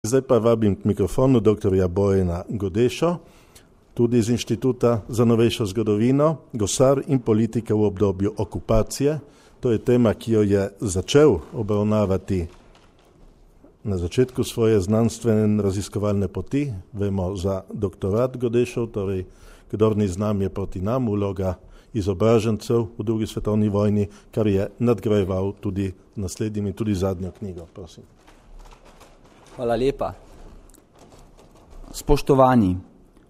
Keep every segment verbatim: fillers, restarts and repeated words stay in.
Zdaj pa vabim k mikrofonu doktorja Bojana Godešo, tudi iz Inštituta za novejšo zgodovino, gosar in politika v obdobju okupacije. To je tema, ki jo je začel obravnavati na začetku svoje znanstvene in raziskovalne poti. Vemo za doktorat Godešov, torej kdor ni z nami je proti nam, vloga izobražencev v drugi svetovni vojni, kar je nadgrajeval tudi naslednjim in tudi zadnjo knjigo. Prosim. Hvala lepa. Spoštovani,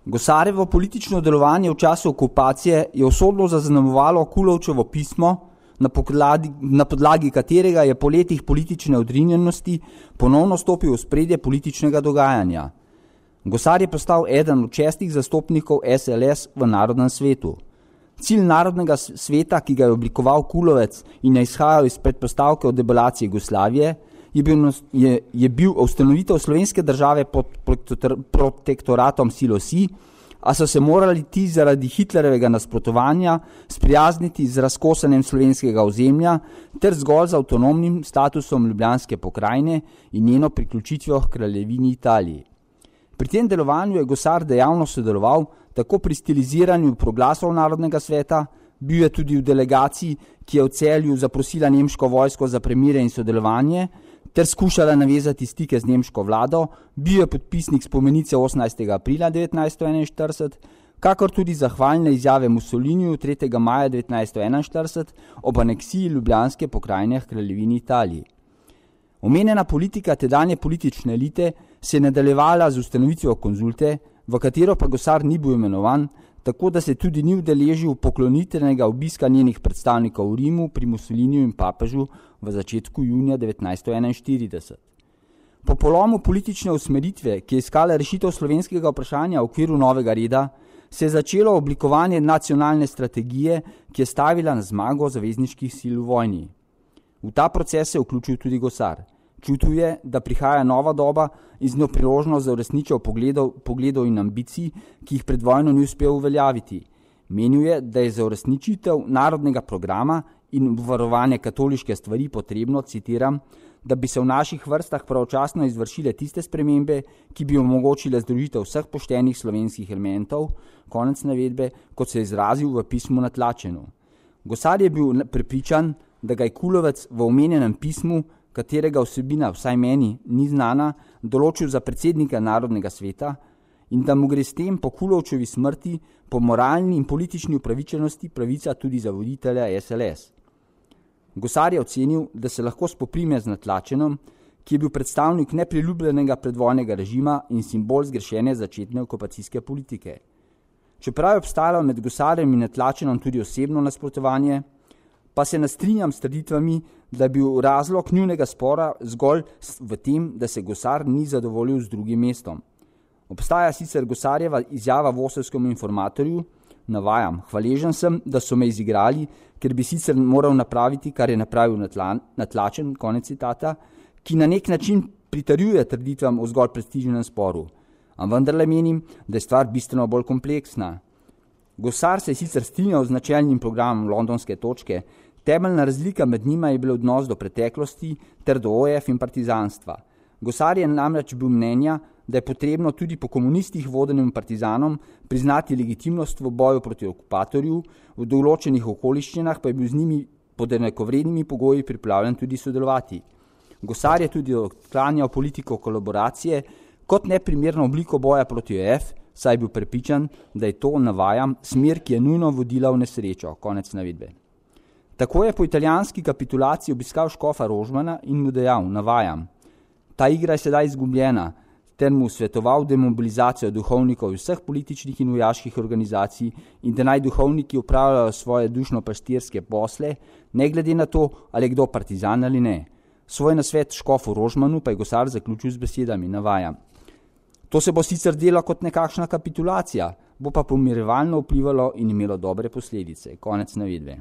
Gosarjevo politično delovanje v času okupacije je usodno zaznamovalo Kulovčevo pismo, na podlagi, na podlagi katerega je po letih politične odrinjenosti ponovno stopil v spredje političnega dogajanja. Gosar je postal eden od šestih zastopnikov S L S v Narodnem svetu. Cilj Narodnega sveta, ki ga je oblikoval Kulovec in je izhajal iz predpostavke o debelaciji Jugoslavije, je bil, je, je bil ustanovitev slovenske države pod protektoratom sil osi, a so se morali ti zaradi Hitlerjevega nasprotovanja sprijazniti z razkosanjem slovenskega ozemlja ter zgolj z avtonomnim statusom Ljubljanske pokrajine in njeno priključitvijo k kraljevini Italiji. Pri tem delovanju je Gosar dejavno sodeloval tako pri stiliziranju proglasov Narodnega sveta, bil je tudi v delegaciji, ki je v Celju zaprosila nemško vojsko za premire in sodelovanje, ter skušala navezati stike z nemško vlado, bil je podpisnik spomenice osemnajstega aprila devetnajststo enainštirideset, kakor tudi zahvalne izjave Mussoliniju tretjega maja devetnajststo enainštirideset ob aneksiji Ljubljanske pokrajine k kraljevini Italiji. Omenjena politika tedanje politične elite se je nadaljevala z ustanovitvijo konzulte, v katero pa Gosar ni bil imenovan, tako da se tudi ni udeležil poklonitvenega obiska njenih predstavnikov v Rimu pri Mussoliniju in papežu v začetku junija devetnajststo enainštirideset. Po polomu politične usmeritve, ki je iskala rešitev slovenskega vprašanja v okviru novega reda, se je začelo oblikovanje nacionalne strategije, ki je stavila na zmago zavezniških sil v vojni. V ta proces se je vključil tudi Gosar. Čutil je, da prihaja nova doba in z njo priložnost za uresničitev pogledov, pogledov in ambicij, ki jih pred vojno ni uspel uveljaviti. Menil je, da je za uresničitev narodnega programa in obvarovanje katoliške stvari potrebno, citiram, da bi se v naših vrstah pravočasno izvršile tiste spremembe, ki bi omogočile združitev vseh poštenih slovenskih elementov, konec navedbe, kot se je izrazil v pismu na Tlačenu. Gosar je bil prepričan, da ga je Kulovec v omenjenem pismu, katerega vsebina vsaj meni ni znana, določil za predsednika Narodnega sveta in da mu gre s tem po Kulovčevi smrti po moralni in politični upravičenosti pravica tudi za voditelja S L S. Gosar je ocenil, da se lahko spoprime z Natlačenom, ki je bil predstavnik nepriljubljenega predvojnega režima in simbol zgrešene začetne okupacijske politike. Čeprav je obstajalo med Gosarjem in Natlačenom tudi osebno nasprotovanje, pa se nastrinjam s trditvami, da je bil razlog njunega spora zgolj v tem, da se Gosar ni zadovoljil z drugim mestom. Obstaja sicer Gosarjeva izjava Vosovskemu informatorju, navajam, hvaležen sem, da so me izigrali, ker bi sicer moral napraviti, kar je napravil Natlačen, konec citata, ki na nek način pritrjuje trditvam o zgolj prestižnem sporu. A vendarle menim, da je stvar bistveno bolj kompleksna. Gosar se je sicer strinjal z načelnim programom londonske točke, temeljna razlika med njima je bil odnos do preteklosti ter do O F in partizanstva. Gosar je namreč bil mnenja, da je potrebno tudi po komunistih vodenim partizanom priznati legitimnost v boju proti okupatorju, v določenih okoliščinah pa je bil z njimi pod enakovrednimi pogoji pripravljen tudi sodelovati. Gosar je tudi odklanjal politiko kolaboracije kot neprimerno obliko boja proti O F, saj je bil prepričan, da je to, navajam, smer, ki je nujno vodila v nesrečo, konec navedbe. Tako je po italijanski kapitulaciji obiskal škofa Rožmana in mu dejal, navajam, ta igra je sedaj izgubljena, ter mu svetoval demobilizacijo duhovnikov vseh političnih in vojaških organizacij in da naj duhovniki upravljajo svoje dušno-pastirske posle, ne glede na to, ali je kdo partizan ali ne. Svoj nasvet škofu Rožmanu pa je Gosar zaključil z besedami, navajam. To se bo sicer delo kot nekakšna kapitulacija, bo pa pomirevalno vplivalo in imelo dobre posledice. Konec navedbe.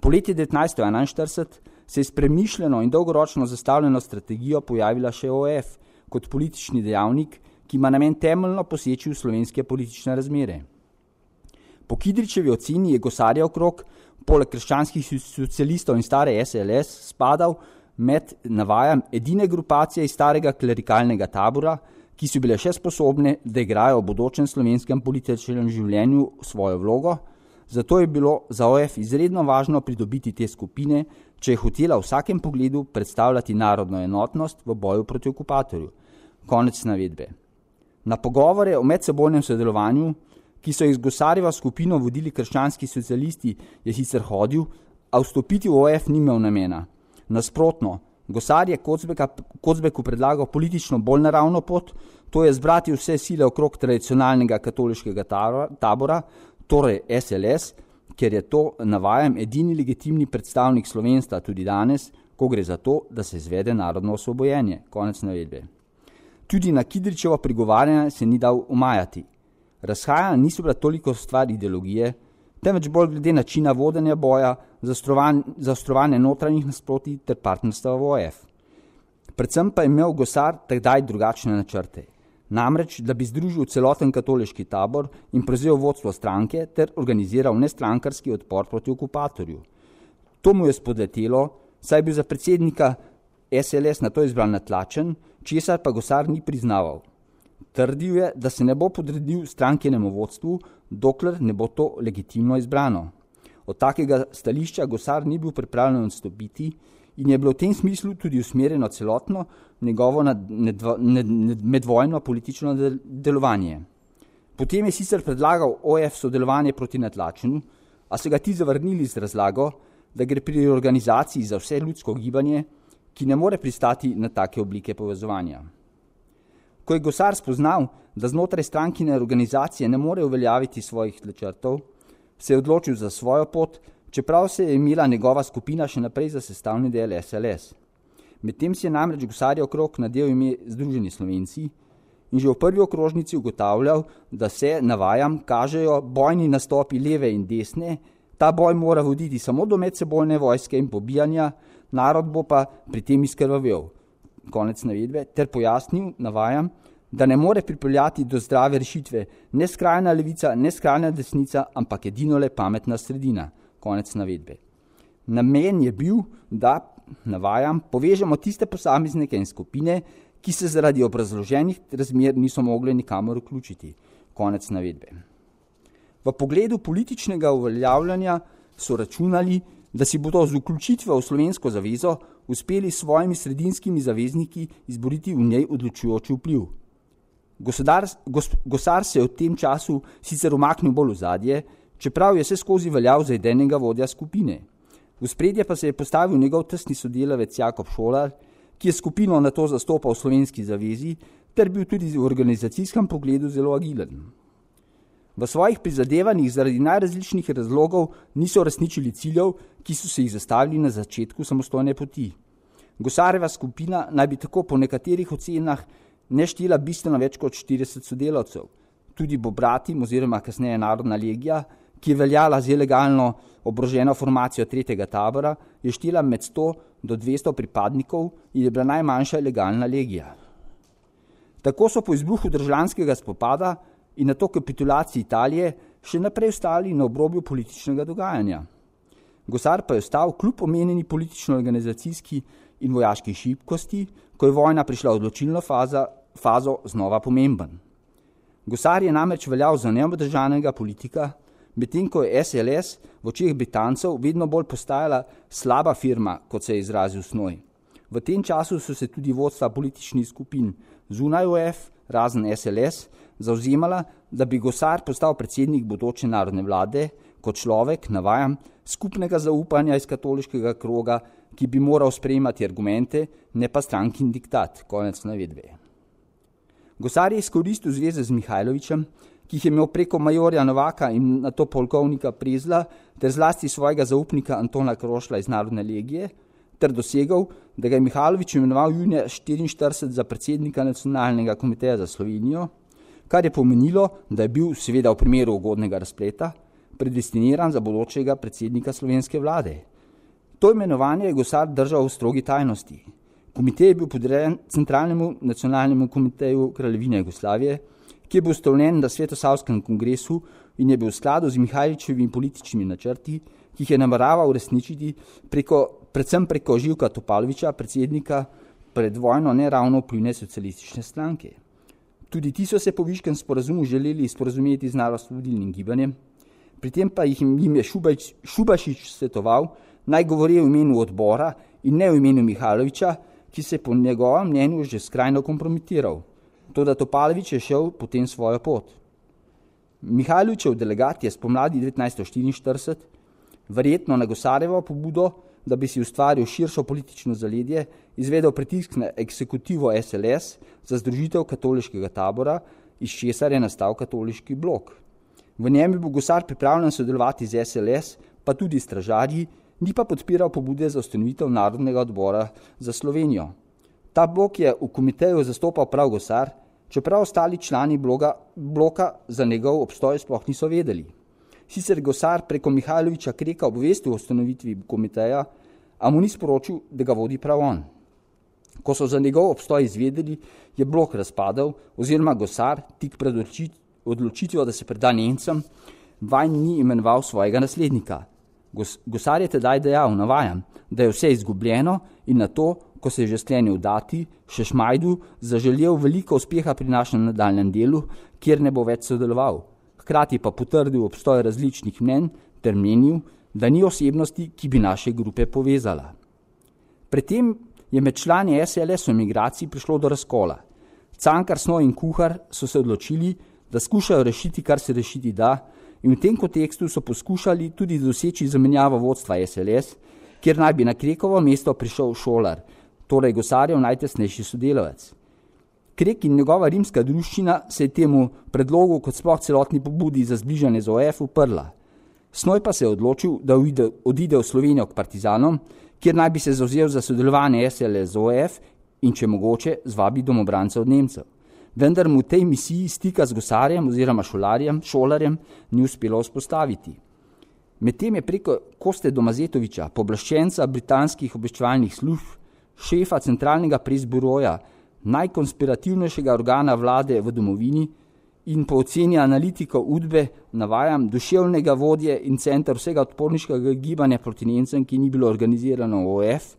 Po leti devetnajststo enainštirideset se je s premišljeno in dolgoročno zastavljeno strategijo pojavila še O F kot politični dejavnik, ki ima namen temeljno poseči v slovenske politične razmere. Po Kidričevi oceni je Gosarjev krog, poleg krščanskih socialistov in stare S L S, spadal med, navajam, edine grupacije iz starega klerikalnega tabora, ki so bile še sposobne, da igrajo v bodočem slovenskem političnem življenju svojo vlogo, zato je bilo za O F izredno važno pridobiti te skupine, če je hotela v vsakem pogledu predstavljati narodno enotnost v boju proti okupatorju. Konec navedbe. Na pogovore o medsebojnem sodelovanju, ki so jih z Gosarjevo skupino vodili krščanski socialisti, je sicer hodil, a vstopiti v O F ni imel namena. Nasprotno, Gosar je Kocbeku predlagal politično bolj naravno pot, to je zbrati vse sile okrog tradicionalnega katoliškega tabora, torej S L S, ker je to, navajam, edini legitimni predstavnik slovenstva tudi danes, ko gre za to, da se izvede narodno osvobojenje. Konec navedbe. Tudi na Kidričevo prigovarjanje se ni dal umajati. Razhajanja niso bila toliko stvar ideologije, temveč bolj glede načina vodenja boja, zaostrovanje notranjih nasprotij ter partnerstva v O F. Predvsem pa je imel Gosar takdaj drugačne načrte. Namreč, da bi združil celoten katoliški tabor in prevzel vodstvo stranke ter organiziral nestrankarski odpor proti okupatorju. To mu je spodletelo, saj je bil za predsednika S L S na to izbran natlačen, česar pa Gosar ni priznaval. Trdil je, da se ne bo podredil strankenemu vodstvu, dokler ne bo to legitimno izbrano. Od takega stališča Gosar ni bil pripravljen odstopiti in je bilo v tem smislu tudi usmerjeno celotno njegovo medvojno politično delovanje. Potem je sicer predlagal O F sodelovanje proti natlačenu, a so ga ti zavrnili z razlago, da gre pri organizaciji za vse ljudsko gibanje, ki ne more pristati na take oblike povezovanja. Ko je Gosar spoznal, da znotraj strankine organizacije ne more uveljaviti svojih načrtov, se je odločil za svojo pot, čeprav se je imela njegova skupina še naprej za sestavni del S L S. Medtem si je namreč Gosarjev okrog nadel ime Združeni Slovenci in že v prvi okrožnici ugotavljal, da se, navajam, kažejo bojni nastopi leve in desne, ta boj mora voditi samo do medsebojne vojske in pobijanja, narod bo pa pri tem izkrvavel. Konec navedbe, ter pojasnil, navajam, da ne more pripeljati do zdrave rešitve ne skrajna levica, ne skrajna desnica, ampak edino le pametna sredina. Konec navedbe. Namen je bil, da, navajam, povežemo tiste posameznike in skupine, ki se zaradi obrazloženih razmer niso mogli nikamor vključiti. Konec navedbe. V pogledu političnega uveljavljanja so računali, da si bodo z vključitvijo v Slovensko zavezo uspeli s svojimi sredinskimi zavezniki izboriti v njej odločujoči vpliv. Gosar, gos, Gosar se je v tem času sicer umaknil bolj v zadje, čeprav je vse skozi veljal za idejnega vodja skupine. V spredje pa se je postavil njegov tesni sodelavec Jakob Šolar, ki je skupino na to zastopal v Slovenski zavezi, ter bil tudi v organizacijskem pogledu zelo agilen. V svojih prizadevanjih zaradi najrazličnih razlogov niso uresničili ciljev, ki so se jih zastavili na začetku samostojne poti. Gosarjeva skupina naj bi tako po nekaterih ocenah ne štela bistveno več kot štirideset sodelavcev. Tudi Bobratim oziroma kasneje Narodna legija, ki je veljala z ilegalno oboroženo formacijo tretjega tabora, je štela med sto do dvesto pripadnikov in je bila najmanjša ilegalna legija. Tako so po izbruhu državljanskega spopada in nato kapitulaciji Italije še naprej ostali na obrobju političnega dogajanja. Gosar pa je ostal kljub omenjeni politično-organizacijski in vojaški šibkosti, ko je vojna prišla v odločilno faza, fazo znova pomemben. Gosar je namreč veljal za neobdržanega politika, medtem ko je S L S v očeh Britancev vedno bolj postajala slaba firma, kot se je izrazil Snoj. V tem času so se tudi vodstva političnih skupin zunaj O F, razen S L S, zavzemala, da bi Gosar postal predsednik bodoče narodne vlade, kot človek, navajam, skupnega zaupanja iz katoliškega kroga, ki bi moral sprejemati argumente, ne pa strankin diktat. Konec navedbe. Gosar je izkoristil zveze z Mihajlovićem, ki jih je imel preko majorja Novaka in nato polkovnika Prezla, ter zlasti svojega zaupnika Antona Krošla iz Narodne legije, ter dosegal, da ga je Mihajlović imenoval junija štiriinštirideset za predsednika Nacionalnega komiteja za Slovenijo, kar je pomenilo, da je bil, seveda v primeru ugodnega razpleta, predestiniran za bodočega predsednika slovenske vlade. To imenovanje je Gosar držal v strogi tajnosti. Komitej je bil podrejen Centralnemu nacionalnemu komiteju Kraljevine Jugoslavije, ki je bil ustanovljen na Svetosavskem kongresu in je bil v skladu z Mihajlovićevimi političnimi načrti, ki jih je nameraval uresničiti preko predvsem preko Živka Topalovića, predsednika pred vojno neravno vplivne socialistične stranke. Tudi ti so se po Viškem sporazumu želeli sporazumeti z narodnoosvobodilnim gibanjem, pri tem pa jih jim je Šubač, Šubašič svetoval, naj govori v imenu odbora in ne v imenu Mihajlovića, ki se po njegovem mnenju že skrajno kompromitiral. Toda Topalović je šel potem svojo pot. Mihajlovićev delegat je spomladi devetnajststo štiriinštirideset, verjetno na Gosarjevo pobudo, da bi si ustvaril širšo politično zaledje, izvedel pritisk na eksekutivo S L S za združitev katoliškega tabora, iz česar je nastal katoliški blok. V njem je bil Gosar pripravljen sodelovati z S L S, pa tudi stražarji, ni pa podpiral pobude za ustanovitev Narodnega odbora za Slovenijo. Ta blok je v komiteju zastopal prav Gosar, čeprav ostali člani bloga, bloka za njegov obstoj sploh niso vedeli. Sicer Gosar preko Mihajlovića Kreka obvestil o ustanovitvi komiteja, a mu ni sporočil, da ga vodi prav on. Ko so za njegov obstoj izvedeli, je blok razpadel, oziroma Gosar tik pred odločitvijo, da se preda Nemcem, vanj ni imenoval svojega naslednika. Gos, Gosar je tedaj dejal, navajam, da je vse izgubljeno in na to, ko se je že sklenil dati, še Šmajdu zaželel veliko uspeha pri našem nadaljnem delu, kjer ne bo več sodeloval. Hkrati pa potrdil obstoj različnih mnenj ter menil, da ni osebnosti, ki bi naše grupe povezala. Predtem je med člani S L S v emigraciji prišlo do razkola. Cankar, Snoj in Kuhar so se odločili, da skušajo rešiti, kar se rešiti da, in v tem kontekstu so poskušali tudi doseči zamenjavo vodstva S L S, kjer naj bi na Krekovo mesto prišel Šolar, torej Gosarjev najtesnejši sodelavec. Krek in njegova rimska druščina se je temu predlogu kot sploh celotni pobudi za zbližanje z O F uprla. Snoj pa se je odločil, da odide, odide v Slovenijo k partizanom, kjer naj bi se zavzel za sodelovanje S L S z O F in če mogoče zvabi domobrance od Nemcev. Vendar mu v tej misiji stika z Gosarjem oziroma Šolarjem, Šolarjem ni uspelo vzpostaviti. Medtem je preko Koste Domazetovića, pooblaščenca britanskih obveščevalnih služb, šefa centralnega presburoja, najkonspirativnejšega organa vlade v domovini in po oceni analitikov Udbe, navajam, duševnega vodje in center vsega odporniškega gibanja proti Nemcem, ki ni bilo organizirano v O F,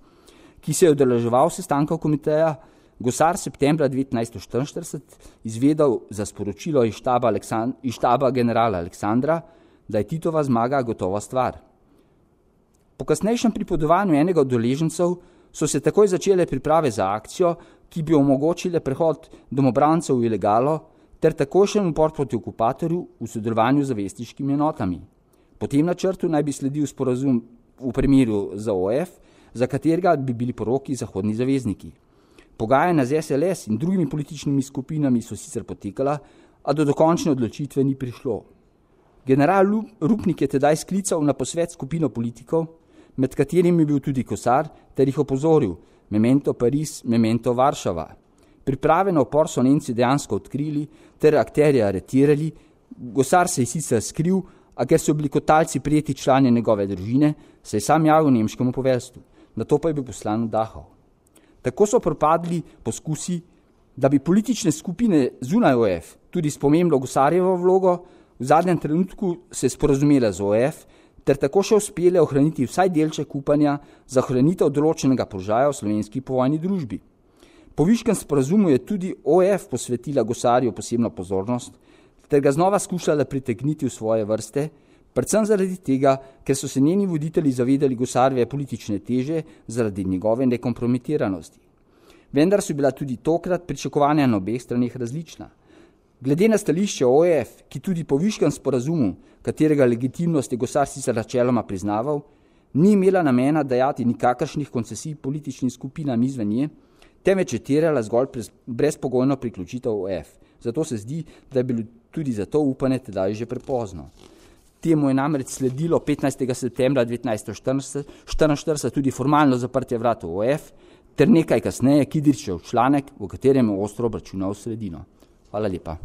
ki se je udeleževal sestankov komiteja, Gosar septembra devetnajststo štiriinštirideset izvedel za sporočilo iz štaba, Aleksand- iz štaba generala Aleksandra, da je Titova zmaga gotova stvar. Po kasnejšem pripodovanju enega od udeležencev so se takoj začele priprave za akcijo, ki bi omogočile prehod domobrancev v ilegalo ter takojšen upor proti okupatorju v sodelovanju z zavestiškimi enotami. Po tem načrtu naj bi sledil sporazum v primeru za O F, za katerega bi bili poroki zahodni zavezniki. Pogajanja z S L S in drugimi političnimi skupinami so sicer potekala, a do dokončne odločitve ni prišlo. General Rupnik je tedaj sklical na posvet skupino politikov, med katerimi je bil tudi Gosar, ter jih opozoril, memento Pariz, memento Varšava. Priprave na upor so Nemci dejansko odkrili, ter akterje aretirali. Gosar se je sicer skril, a ker so bili kot talci prijeti člani njegove družine, se je sam javil nemškemu poveljstvu. Nato pa je bil poslan v Dachau. Tako so propadli poskusi, da bi politične skupine zunaj O F, tudi s pomembno Gosarjevo vlogo, v zadnjem trenutku se sporazumele z O F, ter tako še uspele ohraniti vsaj delček upanja za ohranitev določenega položaja v slovenski povojni družbi. Po Viškem sporazumu je tudi O F posvetila Gosarju posebno pozornost, ter ga znova skušala pritegniti v svoje vrste, predvsem zaradi tega, ker so se njeni voditelji zavedali Gosarjeve politične teže zaradi njegove nekompromitiranosti. Vendar so bila tudi tokrat pričakovanja na obeh straneh različna. Glede na stališče O F, ki tudi po Viškem sporazumu, katerega legitimnost je Gosar sicer načeloma priznaval, ni imela namena dajati nikakršnih koncesij političnim skupinam izven nje, temveč je terjala zgolj brezpogojno priključitev O F. Zato se zdi, da je bilo tudi za to upanje tedaj že prepozno. Temu je namreč sledilo petnajstega septembra devetnajststo štiriinštirideset tudi formalno zaprtje vrat v O F, ter nekaj kasneje Kidričev članek, v katerem je ostro obračunal v sredino. Hvala lepa.